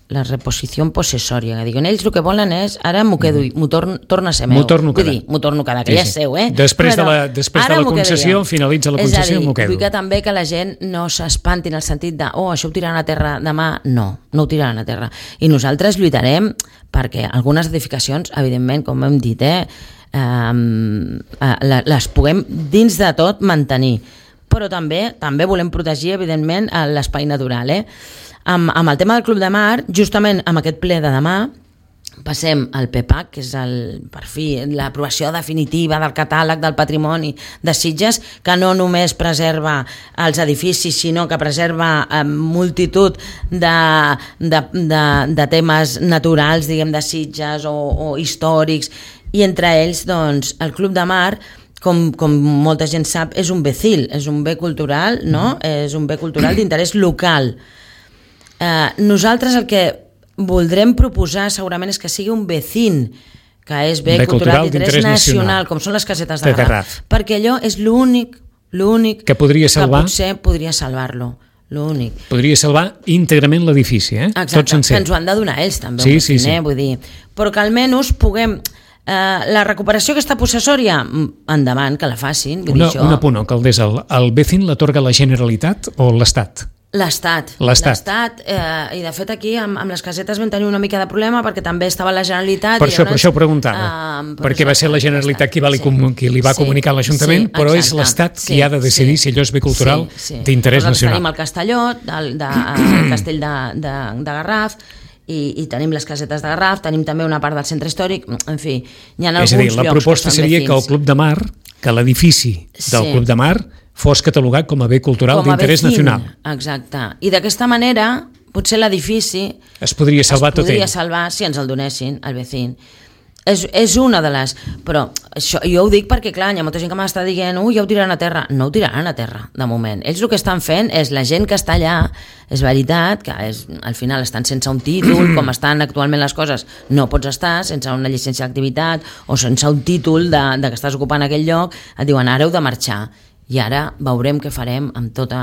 la reposició possessòria, que diuen, ells el que volen és, ara m'ho quedo, m'ho torn, torna a ser meu. M'ho torno a quedar. M'ho torno a quedar, que sí, ja és seu, eh? Després Però, de la, després de la concessió, finalitza la concessió, m'ho quedo. Vull que també que la gent no s'espanti en el sentit de, oh, això ho tiraran a terra demà. No, no ho tiraran a terra. I nosaltres lluitarem perquè algunes edificacions, evidentment, com hem dit, eh, eh, les puguem dins de tot mantenir. Però també també volem protegir, evidentment, l'espai natural, eh? Amb, amb el tema del Club de Mar, justament amb aquest ple de demà, passem al P PAC, que és el, per fi l'aprovació definitiva del catàleg del patrimoni de Sitges, que no només preserva els edificis, sinó que preserva eh, multitud de, de, de, de temes naturals, diguem, de Sitges o, o històrics, i entre ells, doncs, el Club de Mar com, com molta gent sap, és un bé C I L, és un bé cultural, no? Mm. És un bé cultural d'interès local. Eh, nosaltres el que voldrem proposar segurament és que sigui un bé C I N, que és bé, bé cultural d'interès nacional, nacional, com són les casetes de, de Garraf, perquè allò és l'únic, l'únic que podria salvar, que potser podria salvar-lo. L'únic. Podria salvar íntegrament l'edifici, eh? Exacte, tot sencer. Que ens ho han de donar ells també, sí, sí, sí, sí. Vull dir, però que almenys puguem... Uh, la recuperació aquesta possessòria, endavant, que la facin. Vull una, dir, això... un apunt, alcaldessa, el, el B C I N l'atorga la Generalitat o l'Estat? L'Estat. L'Estat. Eh, I de fet aquí amb, amb les casetes vam tenir una mica de problema perquè també estava la Generalitat. Per i això, llavors, per això ho preguntava. Uh, perquè va ser la Generalitat qui, va li, sí, qui li va sí, comunicar a l'Ajuntament, sí, però és l'Estat sí, qui ha de decidir sí, si allò és bé cultural sí, sí. d'interès nacional. Tenim el Castelló, el, de, el castell de, de, de Garraf, I, i tenim les casetes de Garraf, tenim també una part del centre històric, en fi, hi ha alguns llocs. És a dir, la proposta seria que el Club de Mar, que l'edifici del sí. Club de Mar fos catalogat com a bé cultural d'interès nacional. Exacte. I d'aquesta manera, potser l'edifici es podria salvar tot ell. Es podria salvar si ens el donessin, el B C I N. És, és una de les... Però això, jo ho dic perquè, clar, hi ha molta gent que m'està dient ui, ja ho tiraran a terra. No ho tiraran a terra, de moment. Ells el que estan fent és la gent que està allà, és veritat, que és, al final estan sense un títol, com estan actualment les coses, no pots estar sense una llicència d'activitat o sense un títol de, de que estàs ocupant aquell lloc, et diuen ara heu de marxar. I ara veurem què farem amb, tota,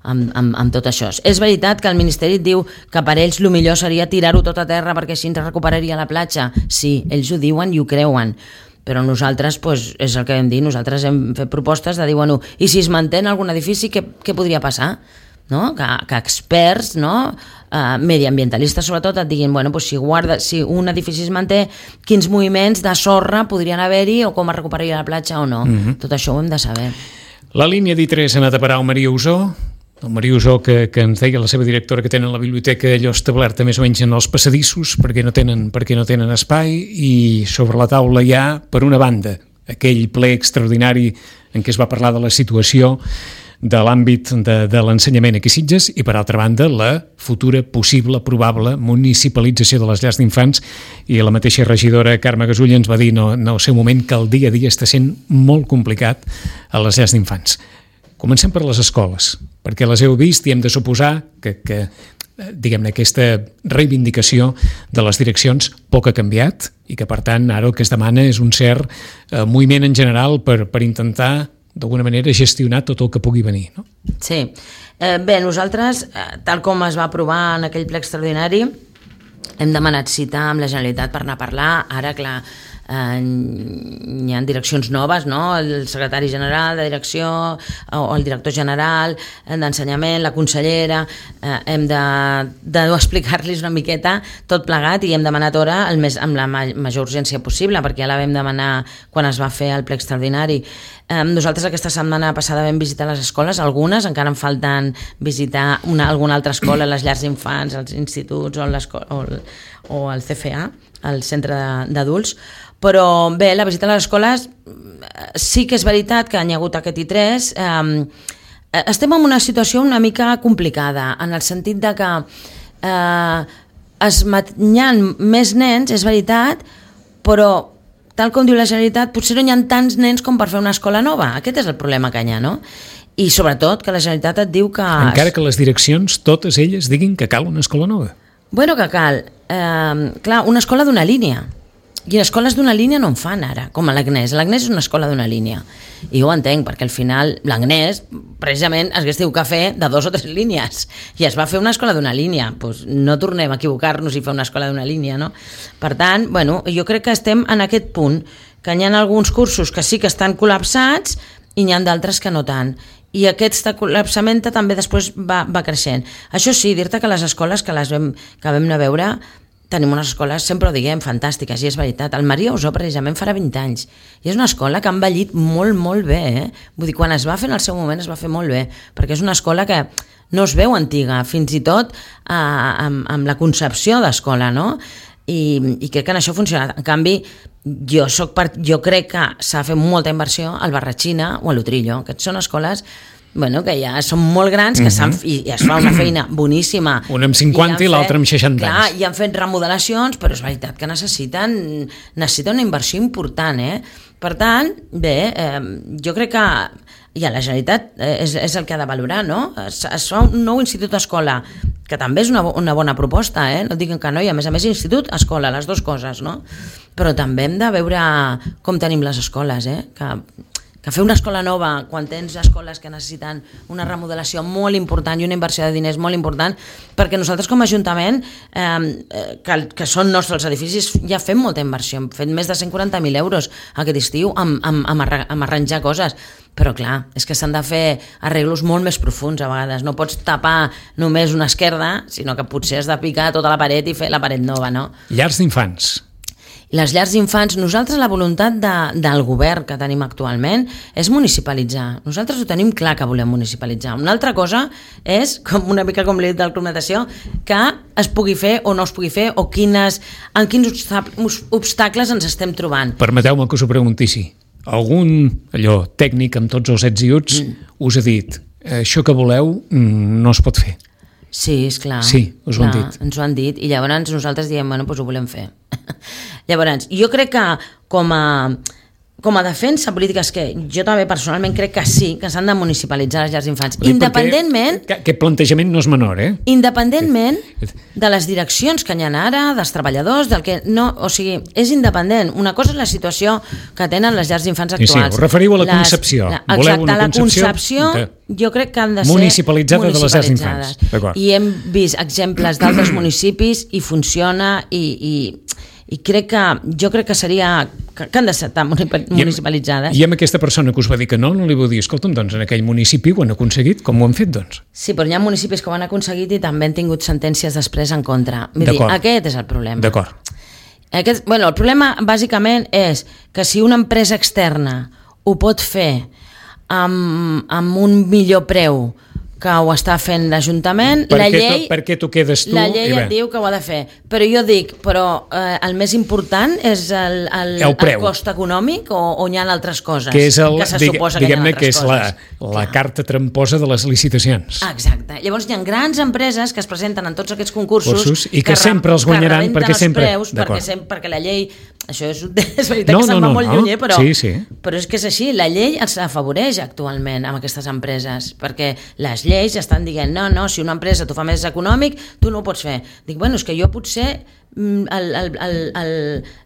amb, amb, amb tot això. És veritat que el Ministeri et diu que per ells el millor seria tirar-ho tot a terra perquè així ens recuperaria la platja. Sí, ells ho diuen i ho creuen, però nosaltres, pues, és el que hem dit, nosaltres hem fet propostes de dir, bueno, i si es manté en algun edifici, què, què podria passar? No? Que, que experts, no? Uh, mediambientalistes sobretot, et diguin, bueno, pues si, guarda, si un edifici es manté, quins moviments de sorra podrien haver-hi o com es recuperaria la platja o no. Mm-hmm. Tot això ho hem de saber. La línia d'I tres ha anat a parar al Maria Usó, el Maria Usó que, que ens deia la seva directora que tenen la biblioteca allò establerta més o menys en els passadissos perquè no tenen, perquè no tenen espai, i sobre la taula hi ha, per una banda, aquell ple extraordinari en què es va parlar de la situació de l'àmbit de, de l'ensenyament aquí a Sitges, i per altra banda la futura possible, probable municipalització de les llars d'infants, i la mateixa regidora Carme Gasull ens va dir no, no, al seu moment que el dia a dia està sent molt complicat a les llars d'infants. Comencem per les escoles, perquè les heu vist i hem de suposar que, que diguem-ne, aquesta reivindicació de les direccions poc ha canviat i que per tant ara el que es demana és un cert eh, moviment en general per, per intentar d'alguna manera gestionar tot el que pugui venir, no? Sí. Eh, bé, nosaltres, eh, tal com es va aprovar en aquell ple extraordinari, hem demanat cita amb la Generalitat per anar a parlar. Ara, clar, eh, hi ha direccions noves, no? El secretari general de direcció o el director general d'ensenyament, la consellera, eh, hem de, de explicar-los una miqueta tot plegat, i hem demanat hora el més, amb la major urgència possible, perquè ja la vam demanar quan es va fer el ple extraordinari. Eh, nosaltres aquesta setmana passada vam visitar les escoles, algunes, encara en falten visitar una, alguna altra escola, les llars d'infants, els instituts o, o, el, o el C F A, el centre d'adults, però bé, la visita a les escoles sí que és veritat que hi ha hagut aquest I tres. Eh, estem en una situació una mica complicada, en el sentit de que eh, es hi ha més nens, és veritat, però tal com diu la Generalitat, potser no hi ha tants nens com per fer una escola nova. Aquest és el problema que hi ha, no? I sobretot que la Generalitat et diu que... Encara que les direccions, totes elles, diguin que cal una escola nova. Bueno, que cal. Eh, clar, una escola d'una línia. I escoles d'una línia no en fan ara, com a l'Agnès. L'Agnès és una escola d'una línia. I jo ho entenc, perquè al final l'Agnès, precisament, es hagués tingut que fer de dos o tres línies. I es va fer una escola d'una línia. Pues no tornem a equivocar-nos i fer una escola d'una línia, no? Per tant, bueno, jo crec que estem en aquest punt, que hi ha alguns cursos que sí que estan col·lapsats i n'hi ha d'altres que no tant. I aquest col·lapsament també després va, va creixent. Això sí, dir-te que les escoles que, les vam, que vam anar a veure, tenim unes escoles, sempre ho diguem, fantàstiques, i és veritat. El Maria Usó, precisament, farà vint anys. I és una escola que ha envellit molt, molt bé. Eh? Vull dir, quan es va fer en el seu moment es va fer molt bé, perquè és una escola que no es veu antiga, fins i tot eh, amb, amb la concepció d'escola, no? I, i crec que en això ha funcionat. En canvi, jo, soc part, jo crec que s'ha fet molta inversió al Barratxina o a l'Utrillo. Aquestes són escoles bueno, que ja són molt grans, que uh-huh. i, i es fa una feina boníssima. Un amb cinquanta i, i l'altre amb seixanta clar, anys. I han fet remodelacions, però és veritat que necessiten, necessiten una inversió important, eh? Per tant, bé, eh, jo crec que ja la Generalitat eh, és, és el que ha de valorar, no? Es, es fa un nou institut escola, que també és una, una bona proposta, eh? No diguen que no, i a més a més institut, escola, les dues coses, no? Però també hem de veure com tenim les escoles, eh? Que que fer una escola nova quan tens escoles que necessiten una remodelació molt important i una inversió de diners molt important, perquè nosaltres com a Ajuntament, eh, que, que són nostres edificis, ja fem molta inversió, hem fet més de cent quaranta mil euros aquest estiu amb, amb, amb, arra, amb arranjar coses, però clar, és que s'han de fer arreglos molt més profunds a vegades, no pots tapar només una esquerda, sinó que potser has de picar tota la paret i fer la paret nova, no? Llars d'infants. Les llars d'infants, nosaltres la voluntat de, del govern que tenim actualment és municipalitzar. Nosaltres ho tenim clar que volem municipalitzar. Una altra cosa és, com una mica com l'he dit del Club Natació, que es pugui fer o no es pugui fer, o quines, en quins obstacles ens estem trobant. Permeteu-me que us ho preguntissi. Algun allò tècnic amb tots els ets i uts mm. us ha dit això que voleu no es pot fer? Sí, és clar. Sí, us ho clar, han dit. Ens ho han dit i llavors nosaltres diem, bueno, doncs ho volem fer. Llavors, jo crec que com a, com a defensa política és que jo també personalment crec que sí, que s'han de municipalitzar les llars d'infants. Independentment... Que, aquest plantejament no és menor, eh? Independentment de les direccions que hi ha ara, dels treballadors, del que no... O sigui, és independent. Una cosa és la situació que tenen les llars d'infants actuals. Sí, sí, us referiu a la les, concepció. La, exacte, Voleu una la concepció... De... jo crec que han de ser municipalitzada de les llars d'infants. I hem vist exemples d'altres municipis i funciona i, i, i crec que jo crec que seria que, que han de estar municipalitzades. I amb aquesta persona que us va dir que no, no li vau dir, escolta'm, doncs en aquell municipi ho han aconseguit, com ho han fet, doncs? Sí, però hi ha municipis que ho han aconseguit i també han tingut sentències després en contra. Vull dir, aquest és el problema. D'acord. Aquest, bueno, el problema bàsicament és que si una empresa externa ho pot fer amb, amb un millor preu que ho està fent l'Ajuntament, la llei, tu, per què tu quedes tu? La llei et diu que ho ha de fer, però jo dic, però eh, el més important és el, el, el, el cost econòmic o, o hi ha altres coses que, és el, que se digue, suposa que hi ha altres que és coses? La, la carta tramposa de les licitacions. Exacte. Llavors hi ha grans empreses que es presenten en tots aquests concursos Cursos, i que, que sempre els guanyaran perquè els sempre... Preus, perquè, sempre... perquè la llei... Això és, és veritat no, que se'n no, va no, molt no. lluny, però, sí, sí. però és que és així, la llei els afavoreix actualment amb aquestes empreses, perquè les lleis estan dient, no, no, si una empresa t'ho fa més econòmic, tu no ho pots fer. Dic, bueno, és que jo potser el, el, el, el,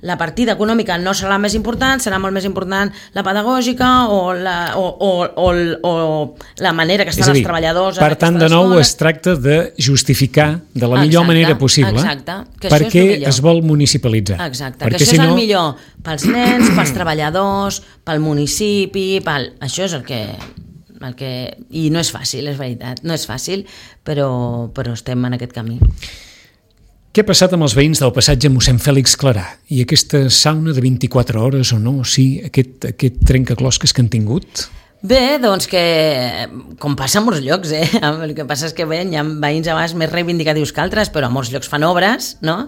la partida econòmica no serà la més important, serà molt més important la pedagògica o la, o, o, o, o la manera que estan dir, els treballadors... Per tant, de nou es tracta de justificar de la millor exacte, manera possible exacte, per què es vol municipalitzar. Exacte, perquè que això si és el no... millor pels nens, pels treballadors, pel municipi, pel... això és el que... El que... I no és fàcil, és veritat, no és fàcil, però, però estem en aquest camí. Què ha passat amb els veïns del passatge Mossèn Fèlix Clarà? I aquesta sauna de vint-i-quatre hores o no? Sí, aquest, aquest trencaclosques que han tingut? Bé, doncs que, com passa a molts llocs, eh? El que passa és que bé, hi ha veïns a vegades més reivindicatius que altres, però a molts llocs fan obres, no?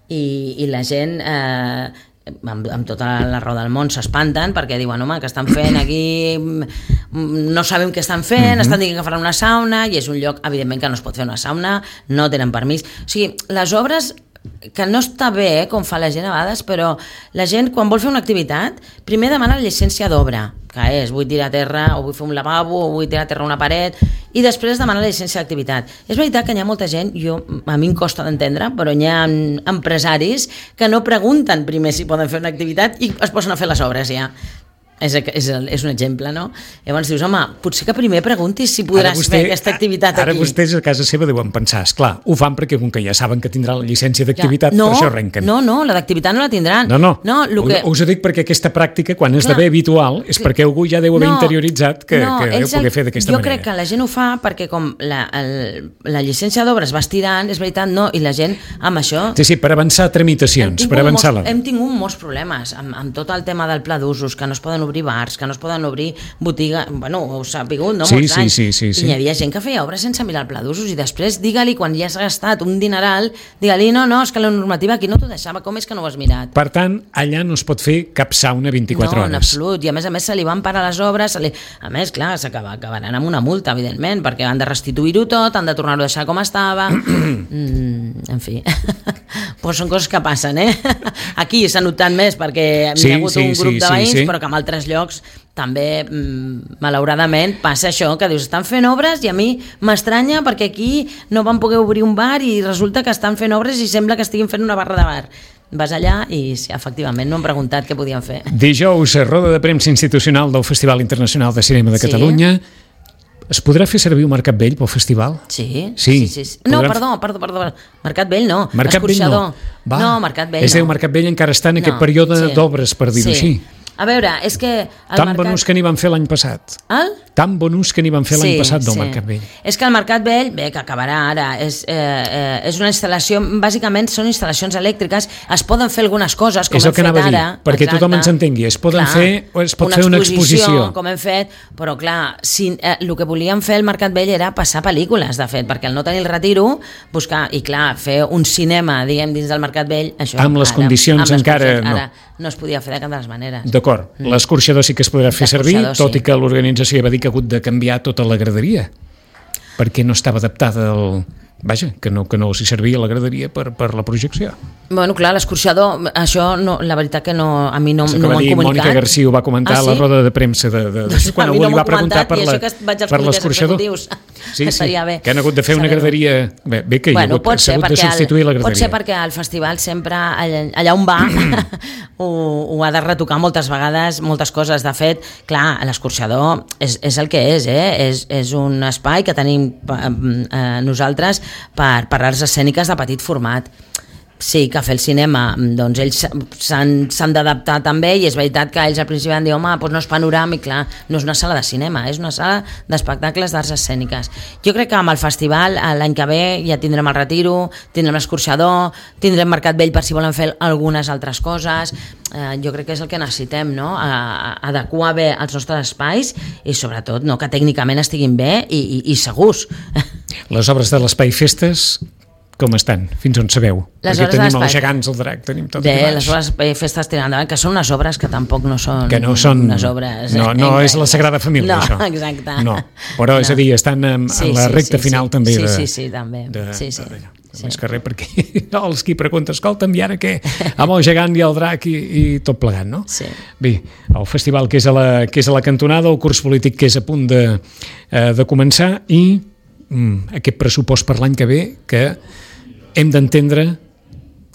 I, i la gent... Eh, Amb, amb tota la raó del món s'espanten perquè diuen, home, que estan fent aquí no sabem què estan fent, mm-hmm. estan dient que faran una sauna i és un lloc, evidentment, que no es pot fer una sauna, no tenen permís, o sigui, les obres que no està bé, eh, com fa la gent a vegades, però la gent quan vol fer una activitat primer demana la llicència d'obra, que és vull tirar a terra o vull fer un lavabo o vull tirar a terra una paret, i després demana la llicència d'activitat. És veritat que hi ha molta gent, jo, a mi em costa d'entendre, però hi ha empresaris que no pregunten primer si poden fer una activitat i es posen a fer les obres ja. És, és, és un exemple, no? Llavors dius, home, potser que primer preguntis si podràs vostè, fer aquesta activitat ara aquí. Ara vostès a casa seva deuen pensar, esclar, ho fan perquè com que ja saben que tindran la llicència d'activitat, ja. no, per això arrenquen. No, no, la d'activitat no la tindran. No, no, no lo que... us ho dic perquè aquesta pràctica, quan esdevé habitual, és que... perquè algú ja deu haver no, interioritzat que, no, que deu poder fer d'aquesta manera. Jo crec que la gent ho fa perquè com la, el, la llicència d'obres va estirant, és veritat, no, i la gent amb això... Sí, sí, per avançar tramitacions, per avançar-la. Hem tingut molts problemes amb, amb tot el tema del pla d'usos, que no es poden obrir obrir bars, que no es poden obrir botiga, bueno, ho s'ha pigut, no? Sí, Molts sí, anys. sí, sí, sí. I hi havia gent que feia obres sense mirar el pla d'usos i després digue-li, quan ja has gastat un dineral, digue-li, no, no, és que la normativa aquí no t'ho deixava, com és que no ho has mirat? Per tant, allà no es pot fer cap sauna vint-i-quatre no, hores. No, en absolut, i a més a més se li van parar les obres, se li... a més, clar, s'acaba, acabaran amb una multa, evidentment, perquè han de restituir-ho tot, han de tornar-ho a deixar com estava, mm, en fi, pues són coses que passen, eh? Aquí s'ha notat més perquè sí, hi ha hagut sí, un grup sí, de veïns, sí, sí. però que en altres llocs també, mm, malauradament, passa això, que dius, estan fent obres i a mi m'estranya perquè aquí no van poder obrir un bar i resulta que estan fent obres i sembla que estiguin fent una barra de bar. Vas allà i, sí, efectivament, no hem preguntat què podien fer. Dijous, roda de premsa institucional del Festival Internacional de Cinema de Sí. Catalunya. Es podrà fer servir un Mercat Vell pel festival? Sí, Sí. sí, sí, sí. No, Podrem... perdó, perdó, perdó. Mercat Vell no, Mercat Vell no. Va. No, Mercat Vell És a dir, no. el Mercat Vell encara està en aquest No, període sí. d'obres, per dir-ho Sí. així. A veure, és que... El Tan mercat... bon ús que n'hi van fer l'any passat. El? Tan bon ús que n'hi van fer l'any Sí, passat del sí. Mercat Vell. És que el Mercat Vell, bé, que acabarà ara, és, eh, eh, és una instal·lació, bàsicament són instal·lacions elèctriques, es poden fer algunes coses, com És el hem que fet anava a dir, ara. perquè exacte. tothom ens entengui. Es poden Clar, fer, o es pot una fer una exposició. com hem fet, però clar, si, eh, el que volíem fer al Mercat Vell era passar pel·lícules, de fet, perquè al no tenir el retiro, buscar, i clar, fer un cinema, diguem, dins del Mercat Vell, això... Amb les ara, condicions amb les encara condicions, no. Ara no es podia fer de cap de les maneres. D'acord, mm. l'escorxador sí que es podrà fer servir, L'escorxador, tot sí. i que l'organització va dir que ha hagut de canviar tota la graderia, perquè no estava adaptada al... Vaja, que no, que no s'hi servia la graderia per, per la projecció. Bueno, clar, l'escorxador, això no, la veritat que no, a mi no, És no m'ho han dir, comunicat. Mònica Garcia ho va comentar ah, a sí? la roda de premsa de, de, de, Doncs quan a mi algú no li va m'ho preguntar comentat, per i la, això que vaig als per comitès l'escorxador. executius, Sí, que sí, estaria bé que han hagut de fer una saber-ho. graderia... Bé, bé que hi ha Bueno, hagut, pot ser, s'ha hagut de perquè substituir la el, graderia. pot ser perquè el festival sempre, allà, allà on va, ho, ho ha de retocar moltes vegades, moltes coses. De fet, clar, l'escorxador és, és el que és, eh? és, és un espai que tenim eh, nosaltres per, per arts escèniques de petit format. Sí, que fer el cinema, doncs ells s'han d'adaptar també, i és veritat que ells al principi van dir, home, doncs no és panoràmic, clar, no és una sala de cinema, és una sala d'espectacles d'arts escèniques. Jo crec que amb el festival l'any que ve ja tindrem el retiro, tindrem l'escorxador, tindrem Mercat Vell per si volen fer algunes altres coses. Eh, jo crec que és el que necessitem, no? A, a, adequar bé els nostres espais i sobretot no, que tècnicament estiguin bé i, i, i segurs. Les obres de l'Espai Festes com estan? Fins on sabeu? Les Perquè obres tenim de els l'espai. gegants, el drac, tenim tot Bé, aquí baix. les obres de festes tirant endavant, que són unes obres que tampoc no són, Que no són... unes obres... No, no és la Sagrada Família, no, això. exacte. No, però no. és a dir, estan en, Sí, en la sí, recta sí, final sí. també sí, de... Sí, sí, també. De, sí, sí. de, Sí. Més que res, perquè els qui pregunten, escolta'm, i ara què? Amb el gegant i el drac i, i tot plegat, no? Sí. Bé, el festival que és a la, que és a la cantonada, el curs polític que és a punt de, eh, de començar i mm, aquest pressupost per l'any que ve, que hem d'entendre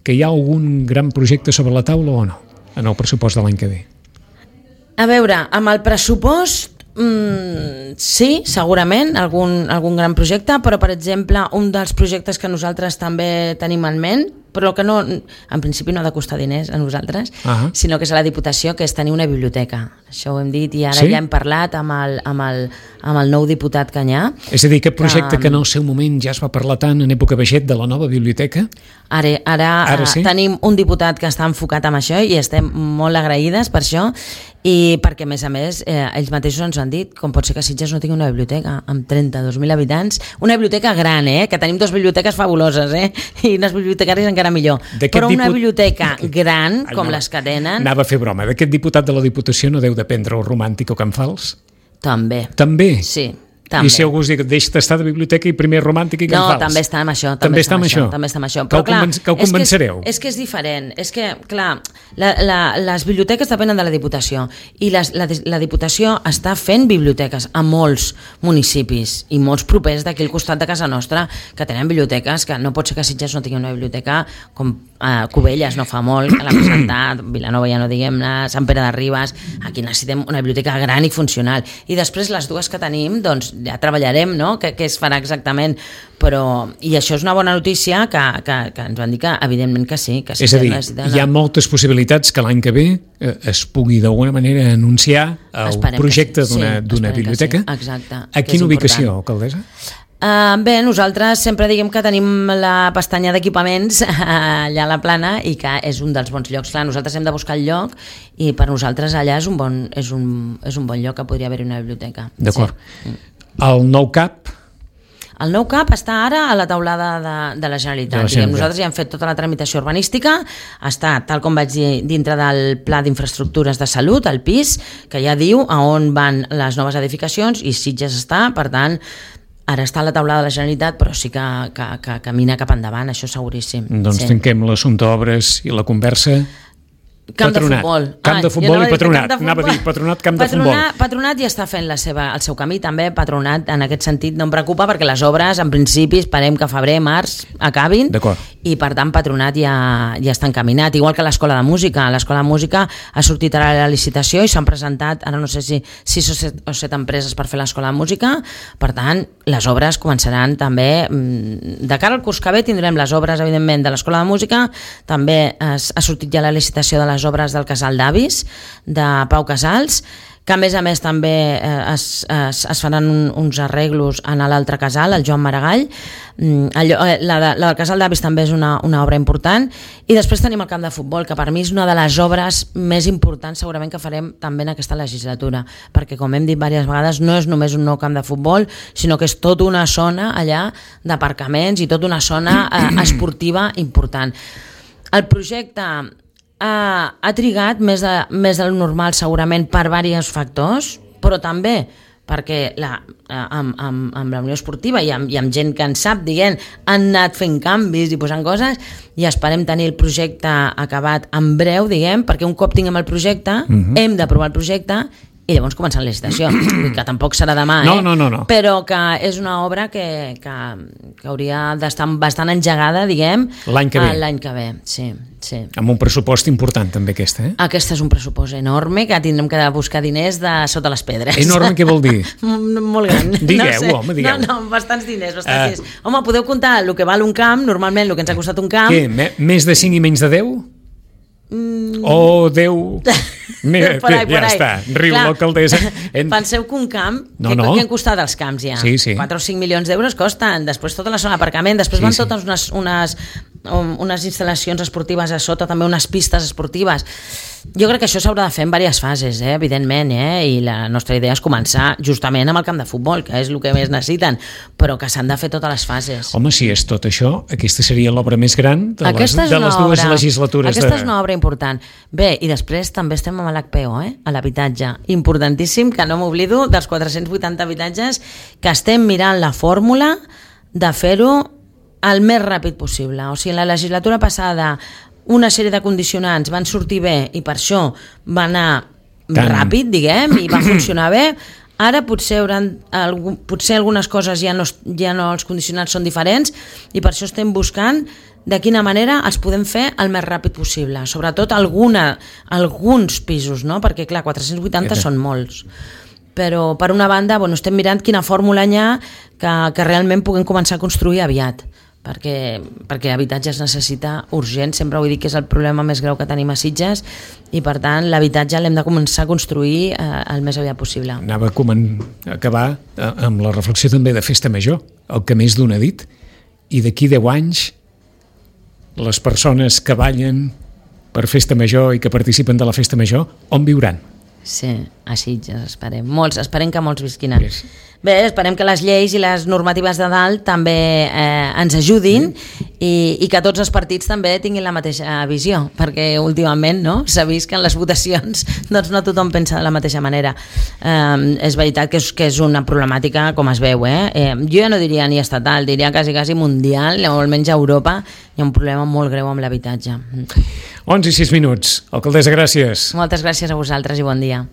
que hi ha algun gran projecte sobre la taula o no, en el pressupost de l'any que ve. A veure, amb el pressupost Mm, sí, segurament, algun, algun gran projecte, però per exemple un dels projectes que nosaltres també tenim en ment, però que no, en principi no ha de costar diners a nosaltres, uh-huh. sinó que és a la Diputació, que és tenir una biblioteca. Això ho hem dit i ara sí? ja hem parlat amb el, amb el, amb el nou diputat Canyà. És a dir, aquest projecte que, que en el seu moment ja es va parlar tant en època Baixet de la nova biblioteca? Ara, ara, ara sí? tenim un diputat que està enfocat en això i estem molt agraïdes per això, i perquè a més a més eh, ells mateixos ens han dit com pot ser que Sitges no tingui una biblioteca amb trenta-dos mil habitants, una biblioteca gran, eh, que tenim dues biblioteques fabuloses, eh, i unes bibliotecaris encara millor, però una diput... biblioteca gran Ai, com no, les que tenen... Anava a fer broma, d'aquest diputat de la Diputació no deu dependre el romàntic o Can Fals? També. També? Sí. També. I si algú es diu, deixa d'estar de biblioteca i primer romàntic i Can no, Fals? també està amb això. També, també està amb això? També està amb això. Però, que, clar, convenc que ho convencereu? És que és, és que és diferent. És que, clar, la, la, les biblioteques depenen de la Diputació i les, la, la Diputació està fent biblioteques a molts municipis i molts propers d'aquí al costat de casa nostra que tenen biblioteques, que no pot ser que Sitges no tingui una biblioteca com eh, Cubelles no fa molt, que l'ha presentat, Vilanova ja no diguem-ne, Sant Pere de Ribes, aquí necessitem una biblioteca gran i funcional. I després les dues que tenim, doncs ja treballarem, no?, què es farà exactament, però i això és una bona notícia que, que, que ens van dir que evidentment que sí, que sí. És a dir, hi ha moltes possibilitats que l'any que ve eh, es pugui d'alguna manera anunciar el esperem projecte sí. d'una sí, biblioteca. Sí. Exacte. A quina ubicació, alcaldessa? Uh, bé, nosaltres sempre diguem que tenim la pestanya d'equipaments allà a la Plana i que és un dels bons llocs. Clar, nosaltres hem de buscar el lloc i per nosaltres allà és un bon, és un, és un bon lloc que podria haver-hi una biblioteca. D'acord. Sí. El nou C A P? El nou C A P està ara a la taulada de, de la Generalitat. De la Generalitat. Nosaltres ja hem fet tota la tramitació urbanística, està, tal com vaig dir, dintre del Pla d'Infraestructures de Salut, el P I S, que ja diu a on van les noves edificacions i Sitges està, per tant, ara està a la taulada de la Generalitat, però sí que, que, que camina cap endavant, això seguríssim. Doncs sí. Tanquem l'assumpte obres i la conversa. Camp patronat. de futbol. Camp de futbol ah, i patronat. De Anava a dir patronat, camp patronat, de futbol. Patronat ja està fent la seva, el seu camí, també patronat en aquest sentit no em preocupa perquè les obres en principi esperem que febrer, març acabin i per tant patronat ja, ja està encaminat, igual que l'Escola de Música. L'Escola de Música ha sortit ara la licitació i s'han presentat, ara no sé si sis o set, o set empreses per fer l'Escola de Música, per tant les obres començaran també, de cara al curs que ve tindrem les obres evidentment de l'Escola de Música, també es, ha sortit ja la licitació de les obres del Casal d'avis de Pau Casals, que a més a més també es, es, es faran un, uns arreglos en l'altre casal, el Joan Maragall. Allò, la, de, la del Casal d'avis també és una, una obra important, i després tenim el camp de futbol, que per mi és una de les obres més importants segurament que farem també en aquesta legislatura, perquè com hem dit diverses vegades no és només un nou camp de futbol, sinó que és tota una zona allà d'aparcaments i tota una zona eh, esportiva important. El projecte Uh, ha trigat més, de, més del normal segurament per diversos factors, però també perquè la, uh, amb, amb, amb la Unió Esportiva i amb, i amb gent que en sap, diguem, han anat fent canvis i posant coses, i esperem tenir el projecte acabat en breu, diguem, perquè un cop tinguem el projecte, uh-huh. hem d'aprovar el projecte i llavors començar la licitació, que tampoc serà demà, no, eh? no, no, no. Però que és una obra que, que, que hauria d'estar bastant engegada, diguem, l'any que ve. L'any que ve, sí, sí. Amb un pressupost important també aquesta, eh? Aquesta és un pressupost enorme, que tindrem que buscar diners de sota les pedres. Enorme què vol dir? Molt gran. Digueu, no sé. home, digueu. No, no, bastants diners, bastants uh, diners. Home, podeu comptar el que val un camp, normalment el que ens ha costat un camp. Què, me, més de cinc i menys de deu? Mm. O deu... Mira, por ahí, ja por està, riu l'alcaldessa. En... Penseu que un camp, no, que, no. que han costat els camps ja? Sí, sí. quatre o cinc milions d'euros costen, després tota la zona d'aparcament, després sí, van totes sí. unes, unes, unes instal·lacions esportives a sota, també unes pistes esportives. Jo crec que això s'haurà de fer en diverses fases, eh? Evidentment, eh? I la nostra idea és començar justament amb el camp de futbol, que és el que més necessiten, però que s'han de fer totes les fases. Home, si és tot això, aquesta seria l'obra més gran de les, de les dues obra, legislatures. Aquesta de... és una obra important. Bé, i després també estem amb l'H P O, eh? A l'habitatge. Importantíssim, que no m'oblido dels quatre-cents vuitanta habitatges, que estem mirant la fórmula de fer-ho el més ràpid possible. O sigui, en la legislatura passada una sèrie de condicionants van sortir bé i per això va anar Tant. ràpid, diguem, i va funcionar bé. Ara potser, hauran, potser algunes coses ja no, ja no, els condicionants són diferents, i per això estem buscant de quina manera els podem fer el més ràpid possible, sobretot alguna, alguns pisos, no? Perquè clar, quatre-cents vuitanta sí, sí. són molts. Però per una banda, bueno, estem mirant quina fórmula hi ha que, que realment puguem començar a construir aviat, perquè, perquè habitatge es necessita urgent, sempre ho he dit que és el problema més greu que tenim a Sitges, i per tant l'habitatge l'hem de començar a construir eh, el més aviat possible. Anava a acabar amb la reflexió també de Festa Major, el que més d'un ha dit, i d'aquí deu anys les persones que ballen per Festa Major i que participen de la Festa Major, on viuran? Sí, a Sitges, esperem. Molts, esperem que molts visquin a... Yes. Bé, esperem que les lleis i les normatives de dalt també eh, ens ajudin mm. i, i que tots els partits també tinguin la mateixa visió, perquè últimament no s'ha vist que en les votacions doncs no tothom pensa de la mateixa manera. Eh, és veritat que és, que és una problemàtica, com es veu, eh? Eh, jo ja no diria ni estatal, diria quasi, quasi mundial, o almenys a Europa hi ha un problema molt greu amb l'habitatge. onze i sis minuts. Alcaldessa, gràcies. Moltes gràcies a vosaltres i bon dia.